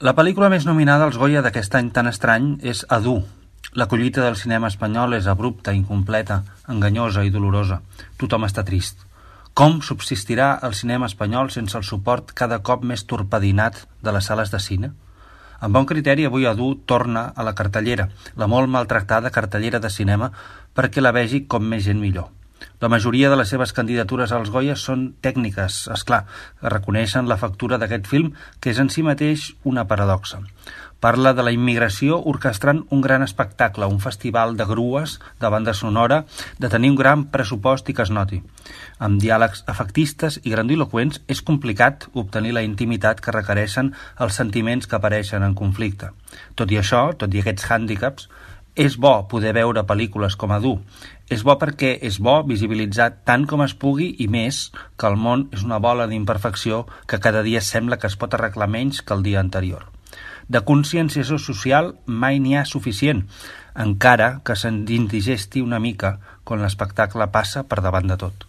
La pel·lícula més nominada als Goya d'aquest any tan estrany és Adu. La collita del cinema espanyol és abrupta, incompleta, enganyosa i dolorosa. Tothom està trist. Com subsistirà el cinema espanyol sense el suport cada cop més torpedinat de les sales de cine? Amb bon criteri, avui Adu torna a la cartellera, la molt maltractada cartellera de cinema, perquè la vegi com més gent millor. La majoria de les seves candidatures als Goya són tècniques, esclar, que reconeixen la factura d'aquest film, que és en si mateix una paradoxa. Parla de la immigració orquestrant un gran espectacle, un festival de grues, de banda sonora, de tenir un gran pressupost i que es noti. Amb diàlegs afectistes i grandiloqüents és complicat obtenir la intimitat que requereixen els sentiments que apareixen en conflicte. Tot i això, tot i aquests hàndicaps, és bo poder veure pel·lícules com Adu. És bo perquè és bo visibilitzar tant com es pugui i més que el món és una bola d'imperfecció que cada dia sembla que es pot arreglar menys que el dia anterior. De conscienciació social mai n'hi ha suficient, encara que se'n indigesti una mica quan l'espectacle passa per davant de tot.